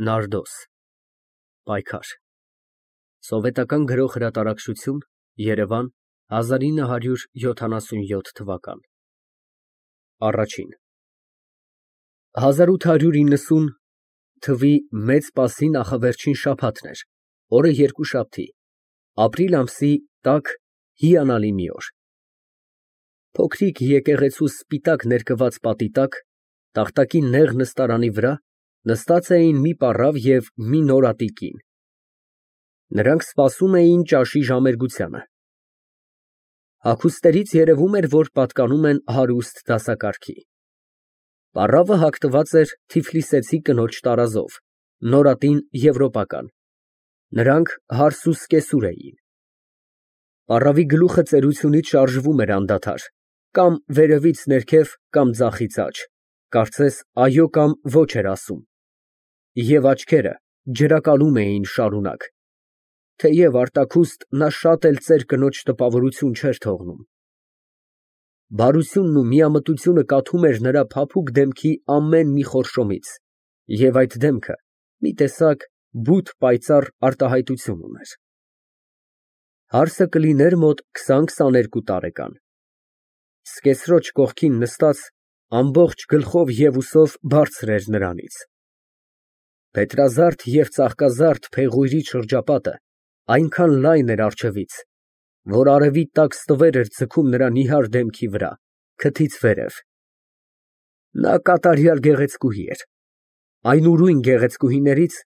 Նարդոս պայքար Սովետական Գրող հրատարակչություն Երևան 1977 Առաջին 1890 թվականի մեծ պասի նախավերջին շաբաթն էր, օրը երկուշաբթի, ապրիլ ամսի տաք հիանալի մի օր։ Փոքրիկ եկեղեցու սպիտակ ներկված պատի տակ, տախտակի նեղ նստարանի վրա նստած էին մի պառավ և մի նորատի կին։ Նրանք սպասում էին ճաշի ժամերգությանը։ Հագուստներից երևում էր, որ պատկանում են հարուստ դասակարգի։ Պառավը հագնված էր թիֆլիսեցի կնոջ տարազով, նորատին եվրոպական, նրանք հարսուսկեսուր էին։ Պառավի գլուխը ծերությունից շարժվում էր անդադար, կամ վերևից ներքև, կամ ձախից աջ, կարծես այո կամ ոչ էր ասում, և աչքերը ջրակալում էին շարունակ, թեև արտաքուստ նա շատ էլ ծեր կնոջ տպավորություն չէր թողնում։ Բարությունն ու միամտությունը կաթում էր նրա փափուկ դեմքի ամեն մի խորշոմից, և այդ դեմքը մի տեսակ բութ պայծառ արտահայտություն ուներ։ Հարսը կլիներ մոտ 20-22 տարեկան։ Սկեսրոջ կողքին նստած, ամբողջ գլխով և ուսով բարձր էր նրանից։ Փետրազարդ և ծաղկազարդ փեղույրի շրջապատը այնքան լայն էր առջևից, որ արևի տաք ստվեր էր ձգում նրա նիհար դեմքի վրա, քթից վերև։ Նա կատարյալ գեղեցկուհի էր, այն ուրույն գեղեցկուհիներից,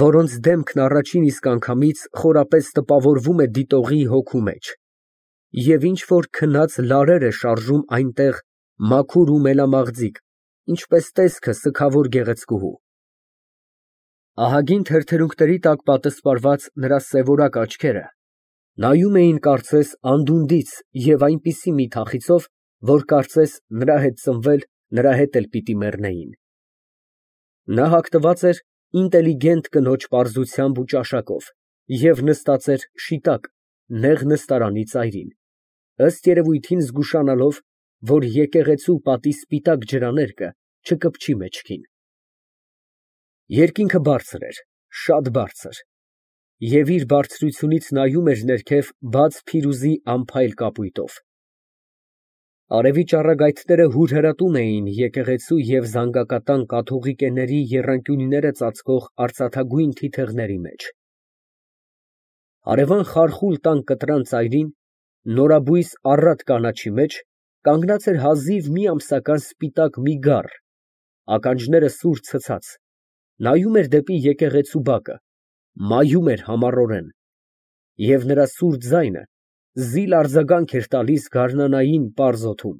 որոնց դեմքն առաջին իսկ անգամից խորապես տպավորվում է դիտողի հոգու մեջ, և ինչ֊որ քնած լարեր է շարժում այնտեղ մաքուր ու մելամաղձիկ, ինչպես տեսքը սգավոր գեղեցկուհու։ Ահագին թեթերունքների տակ պատսպարված նրա սևորակ աչքերը նայում էին կարծես անդունդից և այնպիսի մի թախիծով, որ կարծես նրա հետ ծնվել, նրա հետ էլ պիտի մեռնեին։ Նա հագնված էր ինտելիգենտ կնոջ պարզությամբ ու ճաշակով և նստած էր շիտակ, նեղ նստարանի ծայրին, ըստ երևույթին զգուշանալով, որ եկեղեցու պատի սպիտակ ջրաներկը չկպչի մեջքին։ Երկինքը բարձր էր, շատ բարձր, և իր բարձրությունից նայում էր ներքև բաց փիրուզի անփայլ կապույտով։ Արևի ճառագայթները հուրհրատում էին եկեղեցու և զանգակատան կաթողիկեների եռանկյունները ծածկող արծաթագույն թիթեղների մեջ։ Հարևան խարխուլ տան կտրան ծայրին, նորաբույս առատ կանաչի մեջ, կանգնած էր հազիվ մի ամսական սպիտակ մի գառ, ականջները սուր ցցած, նայում էր դեպի եկեղեցու բակը, մայում էր համառորեն, և նրա սուր ձայնը զիլ արձագանք էր տալիս գարնանային պարզ օդում։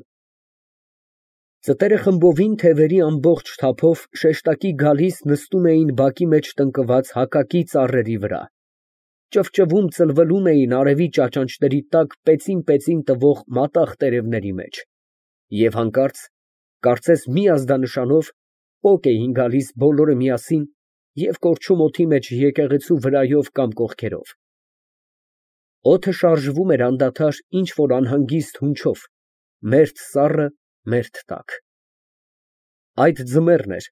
Ծտերը խմբովին թևերի ամբողջ թափով շեշտակի գալիս նստում էին բակի մեջ տնկված հակակի ծառերի վրա, ճվճվում ծլվլում էին արևի ճաճանճների տակ պեծին տվող մատաղ տերևների մեջ, և հանկարծ, կարծես մի ազդանշանով, պոկ էին գալիս բոլորը միասին և կորչում օդի մեջ եկեղեցու վրայով կամ կողքերով։ Օդը շարժվում էր անդադար ինչ֊որ անհանգիստ հունչով, մերթ սառը, մերթ տաք։ Այդ ձմեռն էր,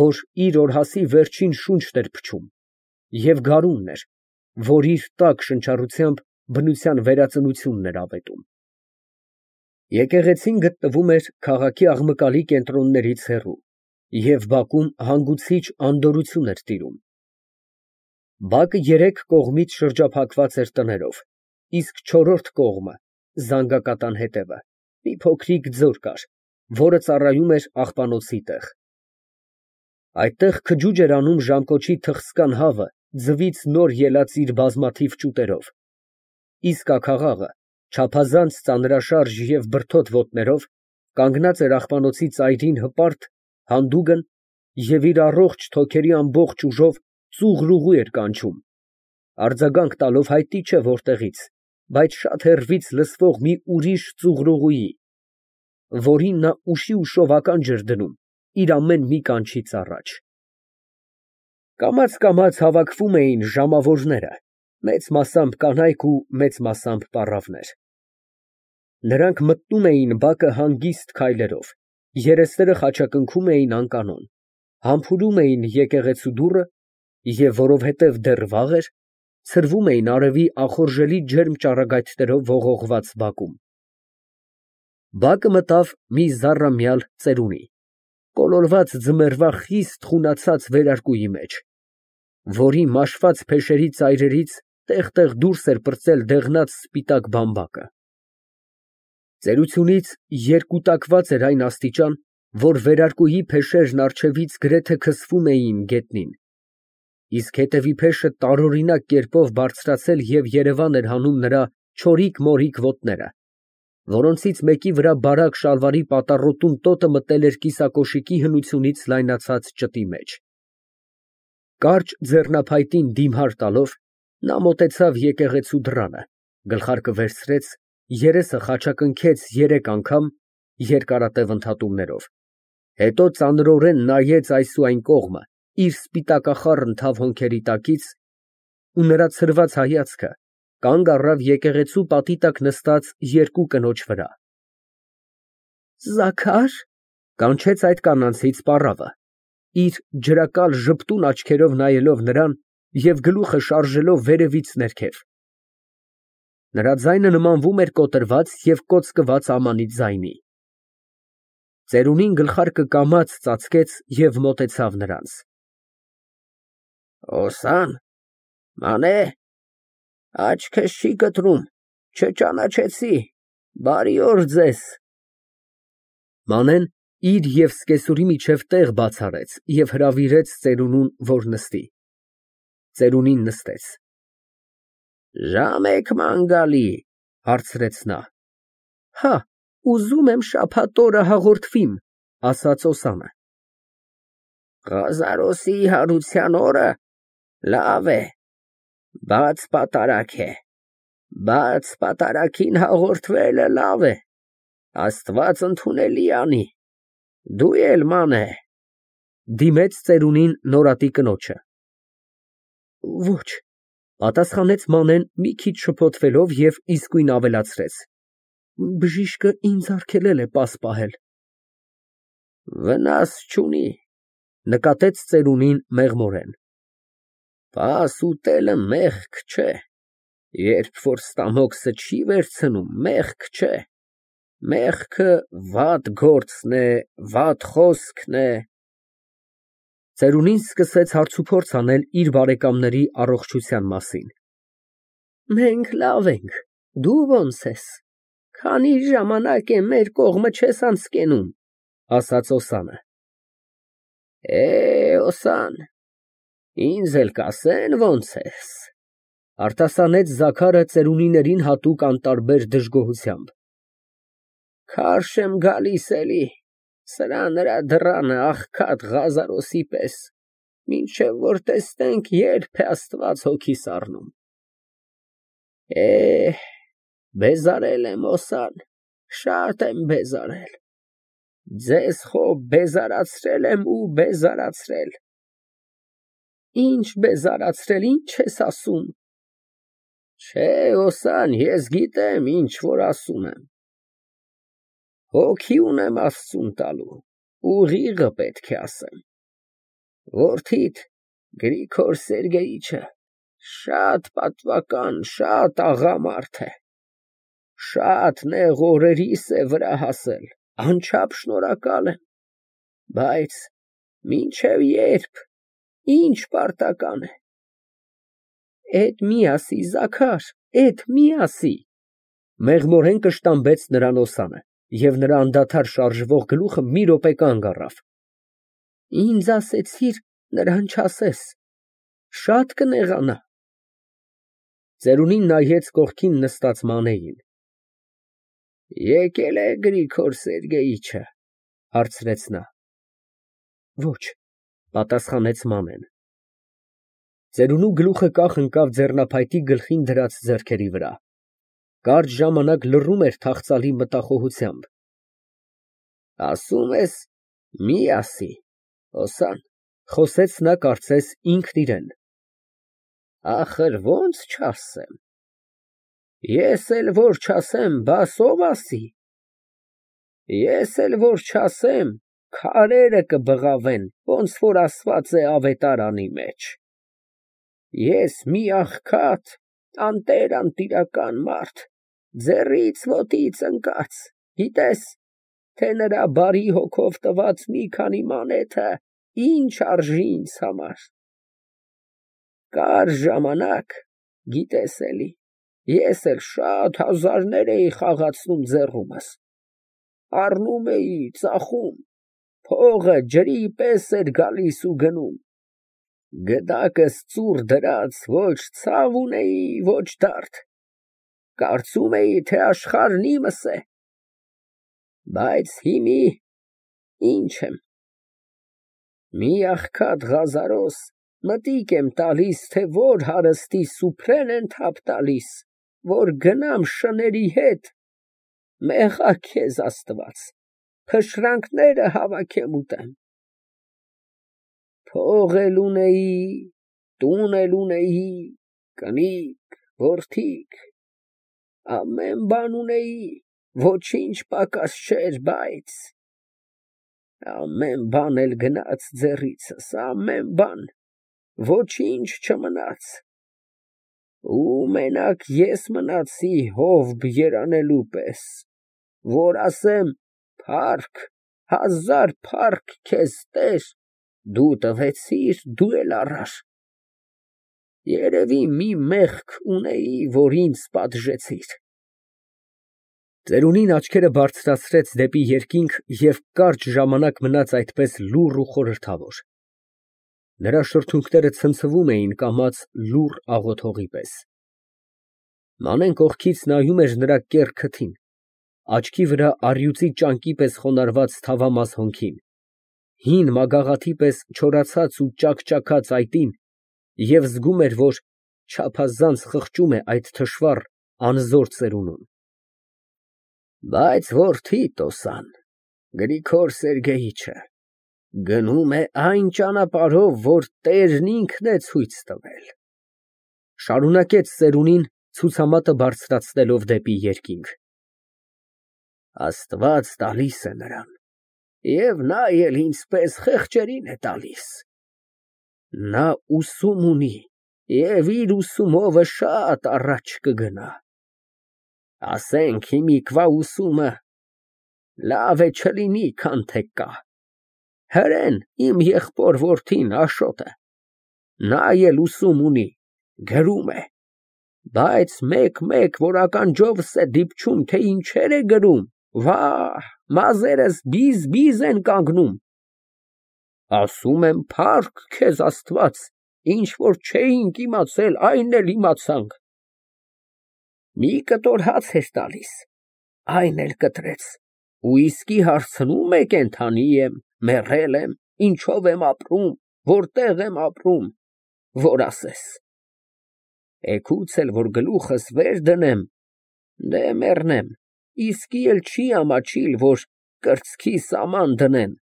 որ իր օրհասի վերջին շունչն էր փչում, և գարունն էր, որ իր տաք շնչառությամբ բնության վերածնությունն էր ավետում։ Եկեղեցին գտնվում էր քաղաքի աղմկալի կենտրոններից հեռու, և բակում հանգուցիչ անդորրություն էր տիրում։ Բակը երեք կողմից շրջափակված էր տներով, իսկ չորրորդ կողմը (զանգակատան հետևը) մի փոքրիկ ձոր կար, որը ծառայում էր աղբանոցի տեղ։ Այդտեղ քջուջ էր անում ժամկոչի թխսկան հավը ձվից նոր ելած իր բազմաթիվ ճուտերով, իսկ աքաղաղը, չափազանց ծանրաշարժ և բրդոտ ոտներով, կանգնած էր աղբանոցի ծայրին հպարտ, հանդուգն և իր առողջ թոքերի ամբողջ ուժով ծուղռուղու էր կանչում, արձագանք տալով հայտնի չէ որտեղից, բայց շատ հեռվից լսվող մի ուրիշ ծուղռուղուի, որին նա ուշի ուշով ականջ էր դնում իր ամեն մի կանչից առաջ։ Կամաց հավաքվում էին ժամավորները, մեծ մասամբ կանայք ու մեծ մասամբ պառավներ։ Նրանք մտնում էին բակը հանգիստ քայլերով, երեսները խաչակնքում էին անկանոն, Համբուրում էին եկեղեցու դուռը և որովհետև դեռ վաղ էր, ցրվում էին արևի ախորժելի ջերմ ճառագայթներով ողողված բակում։ Բակը մտավ մի զառամյալ ծերունի, կոլորված ձմեռվա խիստ խունացած վերարկուի մեջ, որի մաշված փեշերի ծայրերից տեղ֊տեղ դուրս էր պրծել դեղնած սպիտակ բամբակը։ Ծերությունից երկուտակված էր այն աստիճան, որ վերարկուի փեշերն առջևից գրեթե քսվում էին գետնին, իսկ հետևի փեշը տարօրինակ կերպով բարձրացել և երևան էր հանում նրա չորիկ֊մորիկ ոտները, որոնցից մեկի վրա բարակ շալվարի պատառոտուն տոտը մտել էր կիսակոշիկի հնությունից լայնացած ճտի մեջ։ Կարճ ձեռնափայտին դիմհար տալով, նա մոտեցավ եկեղեցու դռանը, գլխարկը վերցրեց, երեսը խաչակնքեց 3 անգամ երկարատև ընդհատումներով, հետո ծանրորեն նայեց այս ու այն կողմը իր սպիտակախառն թավ հոնքերի տակից ու նրա ցրված հայացքը կանգ առավ եկեղեցու պատի տակ նստած երկու կնոջ վրա։ Զաքար, կանչեց այդ կանանցից պառավը, իր ջրակալ ժպտուն աչքերով նայելով նրան և գլուխը շարժելով վերևից ներքև։ Նրա ձայնը նմանվում էր կոտրված և կոծկված ամանի ձայնի։ Ծերունին գլխարկը կամաց ծածկեց և մոտեցավ նրանց։ Օսան, մանե, աչքս չի կտրում, չճանաչեցի, բարի օր ձեզ։ Մանեն իր և սկեսուրի միջև տեղ բաց արեց և հրավիրեց ծերունուն, որ նստի։ Ծերունին նստեց։ Ժամ եք ման գալի, հարցրեց նա։ Հա, ուզում եմ շաբաթ օրը հաղորդվիմ, ասաց Օսանը։ Ղազարոսի հարության օրը, լավ է, բաց պատարագ է, բաց պատարագին հաղորդվելը լավ է, Աստված ընդունելի անի, դու էլ մանե, դիմեց ծերունին նորատի կնոջը։ Ոչ, պատասխանեց Մանեն մի քիչ շփոթվելով և իսկույն ավելացրեց. Բժիշկը ինձ արգելել է պաս պահել։ Վնաս չունի, նկատեց ծերունին մեղմորեն։ Պաս ուտելը մեղք չէ, երբ որ ստամոքսը չի վերցնում, մեղք չէ, մեղքը վատ գործն է, վատ խոսքն է։ Ծերունին սկսեց հարցուփորձ անել իր բարեկամների առողջության մասին։ Մենք լավ ենք, դու ո՞նց ես, քանի ժամանակ է մեր կողմը չես անցկենում, ասաց Օսանը։ Օսան, ինձ էլ կասեն ո՞նց ես, արտասանեց Զաքարը ծերունիներին հատուկ անտարբեր դժգոհությամբ։ Քարշ եմ գալիս էլի, սրա նրա դռանը աղքատ Ղազարոսի պես, մինչև որ տեսնենք երբ է Աստված հոգի սառնում։ Բեզարել եմ, Օսան, շատ եմ բեզարել, ձեզ խո բեզարացրել եմ ու բեզարացրել։ Ինչ բեզարացրել, ինչ ես ասում։ Չէ, Օսան, ես գիտեմ, ինչ որ ասում եմ։ Հոգի ունեմ Աստծուն տալու, ուղիղը պետք է ասեմ։ Որդիդ Գրիգոր Սերգեյիչը շատ պատվական, շատ աղա մարդ է, շատ նեղ օրերիս է վրա հասել, անչափ շնորհակալ եմ, բայց մինչև երբ, ինչ պարտական է։ Էդ մի ասի, Զաքար, էդ մի ասի, մեղմորեն կշտամբեց նրան Օսանը, և նրա անդադար շարժվող գլուխը մի րոպե կանգ առավ։ Ինձ ասեցիր, նրան չասես, շատ կնեղանա։ Ծերունին նայեց կողքին նստած Մանեին։ Եկել է Գրիգոր Սերգեյիչը, հարցրեց նա։ Ոչ, պատասխանեց Մանեն։ Ծերունու գլուխը կախ ընկավ ձեռնափայտի գլխին դրած ձեռքերի վրա։ Կարճ ժամանակ լռում էր թախծալի մտախոհությամբ։ Ասում ես, մի ասի, Օսան, խոսեց նա կարծես ինքն իրեն։ Ախր ո՞նց չասեմ։ Ես էլ որ չասեմ, բաս ով ասի։ Ես էլ որ չասեմ, քարերը կբղավեն, ոնց որ ասված է ավետարանի մեջ։ Ես մի աղքատ, անտիր-անտիրական մարդ, ձեռից ոտից ընկած, գիտես, թե նրա բարի հոգով տված մի քանի մանեթը ինչ արժի ինձ համար։ Կար ժամանակ, գիտես էլի, ես էլ շատ հազարներ էի խաղացնում ձեռումս, առնում էի, ծախում, փողը ջրի պես էր գալիս ու գնում, գդակս ծուռ դրած, ոչ ցավ ունեի, ոչ դարդ, կարծում էի, թե աշխարհն իմս է, բայց հիմի ինչ եմ, մի աղքատ Ղազարոս մտիկ եմ տալիս, թե որ հարստի սուփրեն են թափ տալիս, որ գնամ շների հետ, մեղա քեզ Աստված, փշրանքները հավաքեմ ուտեմ։ Փող էլ ունեի, տուն էլ ունեի, կնիկ, որդիկ, ամեն բան ունեի, ոչինչ պակաս չէր, բայց ամեն բան էլ գնաց ձեռիցս, ամեն բան, ոչինչ չմնաց, ու մենակ ես մնացի հովբ երանելու պես, որ ասեմ, փառք, հազար փառք քեզ Տեր, դու տվեցիր, դու էլ առար, երևի մի մեղք ունեի, որ ինձ պատժեցիր։ Ծերունին աչքերը բարձրացրեց դեպի երկինք և կարճ ժամանակ մնաց այդպես լուռ ու խորհրդավոր։ Նրա շրթունքները ցնցվում էին կամաց լուռ աղոթողի պես։ Մանեն կողքից նայում էր նրա կեռ քթին, աչքի վրա առյուծի ճանկի պես խոնարհված թավամաս հոնքին, հին մագաղաթի պես չորացած ու ճաքճաքած այտին և զգում էր, որ չափազանց խղճում է այդ թշվառ, անզոր ծերունուն։ Բայց որդի Տոսան, Գրիգոր Սերգեյիչը, գնում է այն ճանապարհով, որ Տերն ինքն է ցույց տվել, շարունակեց ծերունին, ցուցամատը բարձրացնելով դեպի երկինք։ Աստված տալիս է նրան, և նա էլ ինձպես խեղճերին է տալիս։ Նա ուսում ունի և իր ուսումովը շատ առաջ կգնա։ Ասենք հիմիկվա ուսումը լավ է չլինի, քան թե կա։ Հրեն իմ եղբոր որդին Աշոտը, նա էլ ուսում ունի, գրում է, բայց մեկ-մեկ որ ականջովս է դիպչում, թե ինչեր է գրում, վա՜, մազերս բիզ են կանգնում։ Ասում եմ, փառք քեզ Աստված, ինչ որ չէինք իմացել, այն էլ իմացանք։ Մի կտոր հաց էր տալիս, այն էլ կտրեց, ու իսկի հարցնում է կենդանի եմ, մեռել եմ, ինչով եմ ապրում, որտեղ եմ ապրում, որ ասես։ Էգուց էլ որ գլուխս վեր դնեմ, դե մեռնեմ, իսկի էլ չի ամաչիլ, որ կրծքի սաման դնեն։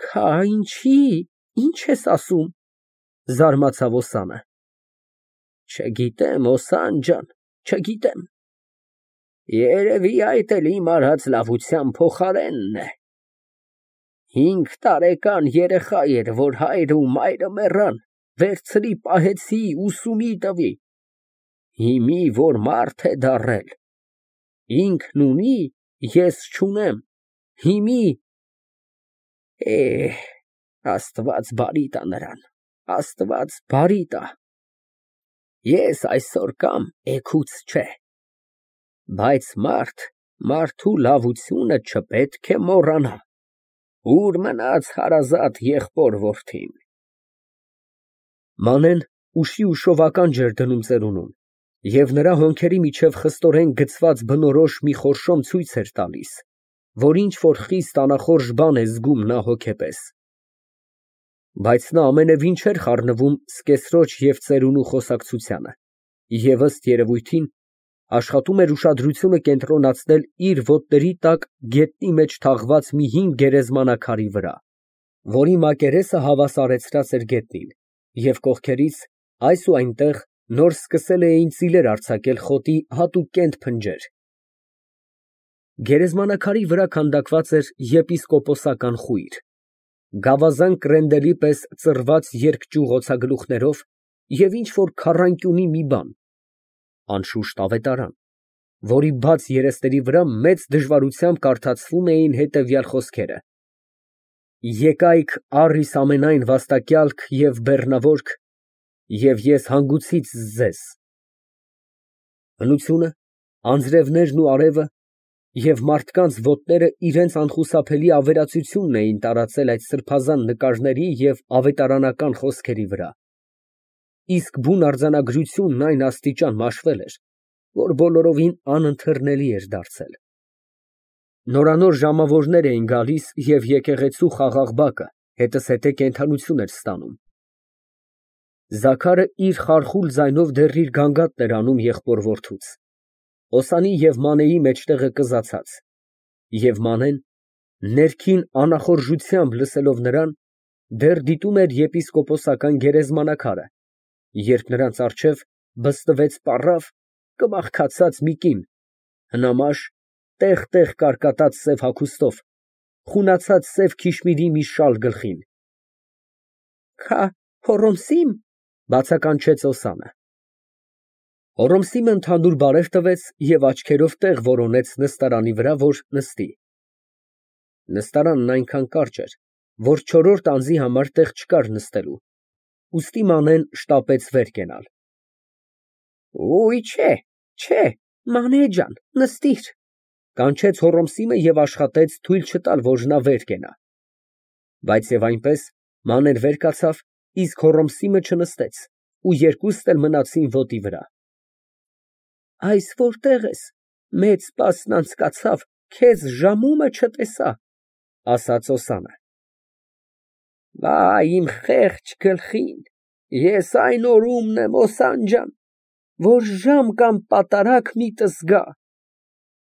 Քա ինչի, ինչ ես ասում, զարմացավ Օսանը։ Չգիտեմ, Օսան ջան, չգիտեմ։ Երևի այդ էլ իմ արած լավության փոխարենն է։ 5 տարեկան երեխա էր, որ հայրը ու մայրը մեռան, վերցրի պահեցի, ուսումի տվի, հիմի որ մարդ է դառել, ինքն ունի, ես չունեմ, հիմի, Աստված բարի տա նրան, Աստված բարի տա, ես այսօր կամ էգուց չէ, բայց մարդու լավությունը չպետք է մոռանա, ուր մնաց հարազատ եղբոր որդին։ Մանեն ուշի ուշով ականջ էր դնում ծերունուն, և նրա հոնքերի միջև խստորեն գցված բնորոշ մի խորշոմ ցույց էր տալիս, որ ինչ-որ խիստ անախորժ բան է զգում նա հոգեպես։ Բայց նա ամենևին չէր խառնվում սկեսրոջ և ծերունու խոսակցությանը և ըստ երևույթին աշխատում էր ուշադրությունը կենտրոնացնել իր ոտների տակ գետնի մեջ թաղված մի հին գերեզմանաքարի վրա, որի մակերեսը հավասարեցրած էր գետնին, և կողքերից այս ու այնտեղ նոր սկսել էին ծիլեր արձակել խոտի հատուկ կենտ փնջեր։ Գերեզմանակարի վրա քանդակված էր եպիսկոպոսական խույր, գավազան կրենդելի պես ծռված երկճյուղ օձագլուխներով և ինչ֊որ քառանկյունի մի բան, անշուշտ ավետարան, որի բաց երեսների վրա մեծ դժվարությամբ կարդացվում էին հետևյալ խոսքերը. «Եկայք առ իս ամենայն վաստակյալք և բեռնավորք, և ես հանգուցից ձեզ»։ Հնությունը, անձրևներն ու արևը և մարդկանց ոտները իրանց անխուսափելի ավերածությունն էին տարածել այդ սրբազան նկարների և ավետարանական խոսքերի վրա, իսկ բուն արձանագրությունն այն աստիճան մաշվել էր, որ բոլորովին անընթեռնելի էր դարձել։ Նորանոր ժամավորներ էին գալիս և եկեղեցու խաղաղ բակը հետզհետե կենդանություն էր ստանում։ Զաքարը իր խարխուլ ձայնով դեռ իր գանգատն էր անում եղբոր որդուց, Օսանի և Մանեի մեջտեղը կզացած, և Մանեն, ներքին անախորժությամբ լսելով նրան, դեռ դիտում էր եպիսկոպոսական գերեզմանակարը, երբ նրանց առջև բստվեց պառավ, կմախքացած մի կին, հնամաշ, տեղ֊տեղ կարկատած սև հագուստով, խունացած սև քիշմիրի մի շալ գլխին։ ֊ Քա Հոռոմսի՞մ, ֊ բացականչեց Օսանը։ Հոռոմսիմը ընդհանուր բարև տվեց և աչքերով տեղ որոնեց նստարանի վրա, որ նստի։ Նստարանն այնքան կարճ էր, որ չորրորդ անձի համար տեղ չկար նստելու, ուստի Մանեն շտապեց վեր կենալ։ Չէ, Մանե ջան, նստիր, ֊ կանչեց Հոռոմսիմը և աշխատեց թույլ չտալ, որ նա վեր կենա։ Բայց և այնպես Մանեն վեր կացավ, իսկ Հոռոմսիմը չնստեց, ու երկուսն էլ մնացին ոտի վրա։ Այս որտե՞ղ ես, մեծ սպասն անցկացավ, քեզ ժամումը չտեսա, ֊ ասաց Օսանը։ Իմ խեղճ գլխին, ես այն օրումն եմ, Օսան ջան, որ ժամ կամ պատարագ միտս գա, ֊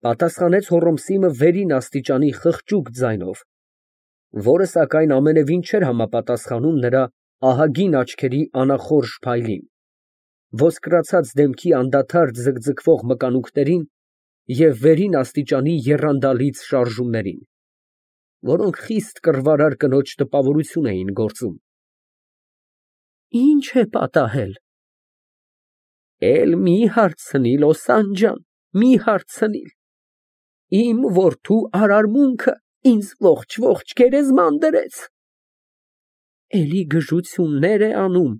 պատասխանեց Հոռոմսիմը վերին աստիճանի խղճուկ ձայնով, որը, սակայն, ամենևին չէր համապատասխանում նրա ահագին աչքերի անախորժ փայլին, ոսկրացած դեմքի անդադար ձգձգվող մկանունքներին և վերին աստիճանի եռանդալից շարժումներին, որոնք խիստ կռվարար կնոջ տպավորություն էին գործում։ Ի՞նչ է պատահել։ Էլ մի հարցնիլ, Օսան ջան, մի հարցնիլ, իմ որդու արարմունքը ինձ ողջ գերեզման դրեց։ Էլի գժություններ է անում։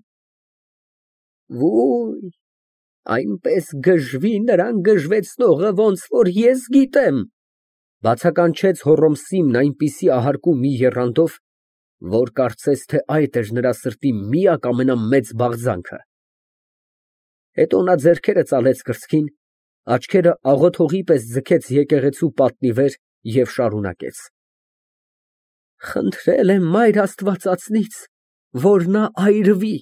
Այնպես գժվի նրան գժվեցնողը, ոնց որ ես գիտեմ, ֊ բացականչեց Հոռոմսիմն այնպիսի ահարկու մի եռանդով, որ կարծես թե այդ էր նրա սրտի միակ ամենամեծ բաղձանքը։ Հետո նա ձեռքերը ծալեց կրծքին, աչքերը աղոթողի պես ձգեց եկեղեցու պատի վեր և շարունակեց. Խնդրել եմ մայր աստվածածնից, որ նա այրվի,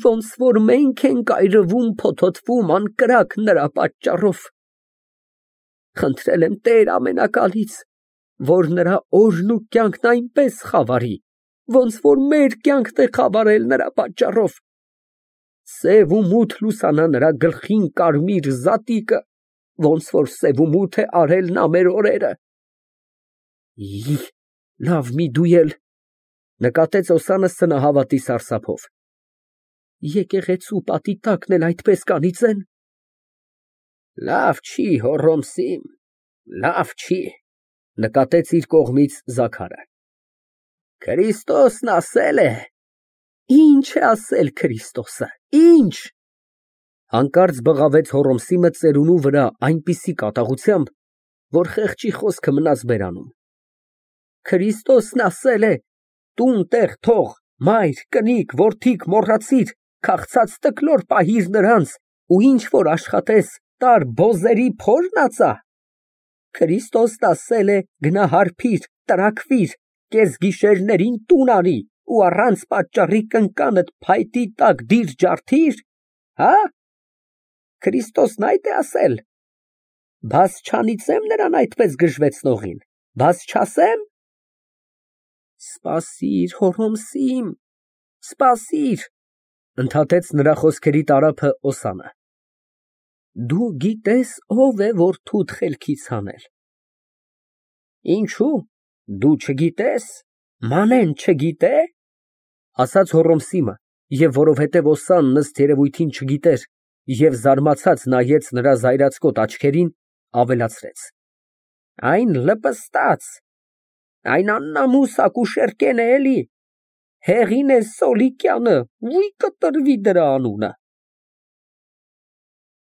ոնց որ մենք ենք այրվում, փոթոթվում անկրակ նրա պատճառով։ Խնդրել եմ Տեր ամենակալից, որ նրա օրն ու կյանքն այնպես խավարի, ոնց որ մեր կյանքն է խավարել նրա պատճառով, սև ու մութ լուսանա նրա գլխին կարմիր զատիկը, ոնց որ սև ու մութ է արել նա մեր օրերը։ Լավ մի դու էլ, ֊ նկատեց Օսանը սնահավատի սարսափով, եկեղեցու պատի տակն էլ այդպես կանիծեն։ Լավ չի, Հոռոմսիմ, լավ չի, ֊ նկատեց իր կողմից Զաքարը։ Քրիստոսն ասել է։ Ինչ է ասել Քրիստոսը, ինչ։ Հանկարծ բղավեց Հոռոմսիմը ծերունու վրա այնպիսի կատաղությամբ, որ խեղճի խոսքը մնաց բերանում։ Քրիստոսն ասել է. տուն տեղ թող, մայր, կնիկ, որդիք մոռացիր, քաղցած տկլոր պահիր նրանց ու ինչ որ աշխատես, տար բոզերի փորն ածա։ Քրիստոսն ասել է գնա հարբիր, տրաքվիր, կեսգիշերներին տուն արի ու առանց պատճառի կնկանդ փայտի տակ դիր ջարդիր, հա՞։ Քրիստոսն այդ է ասել։ Բաս չանիծեմ նրան այդպես գժվեցնողին, բաս չասեմ։ Սպասիր, Հոռոմսիմ, սպասիր, ֊ ընդհատեց նրա խոսքերի տարափը Օսանը։ Դու գիտես ով է որդուդ խելքից հանել։ Ինչո՞ւ, դու չգիտես, Մանեն չգիտե՞։ Ասաց Հոռոմսիմը, և որովհետև օսանն ըստ երևույթին չգիտեր և զարմացած նայեց նրա զայրացկոտ աչքերին, ավելացրեց. Այն լպստած, այն աննամուս ակուշեր կեն է էլի, հեղին է Սոլիկյանը, կտրվի դրա անունը։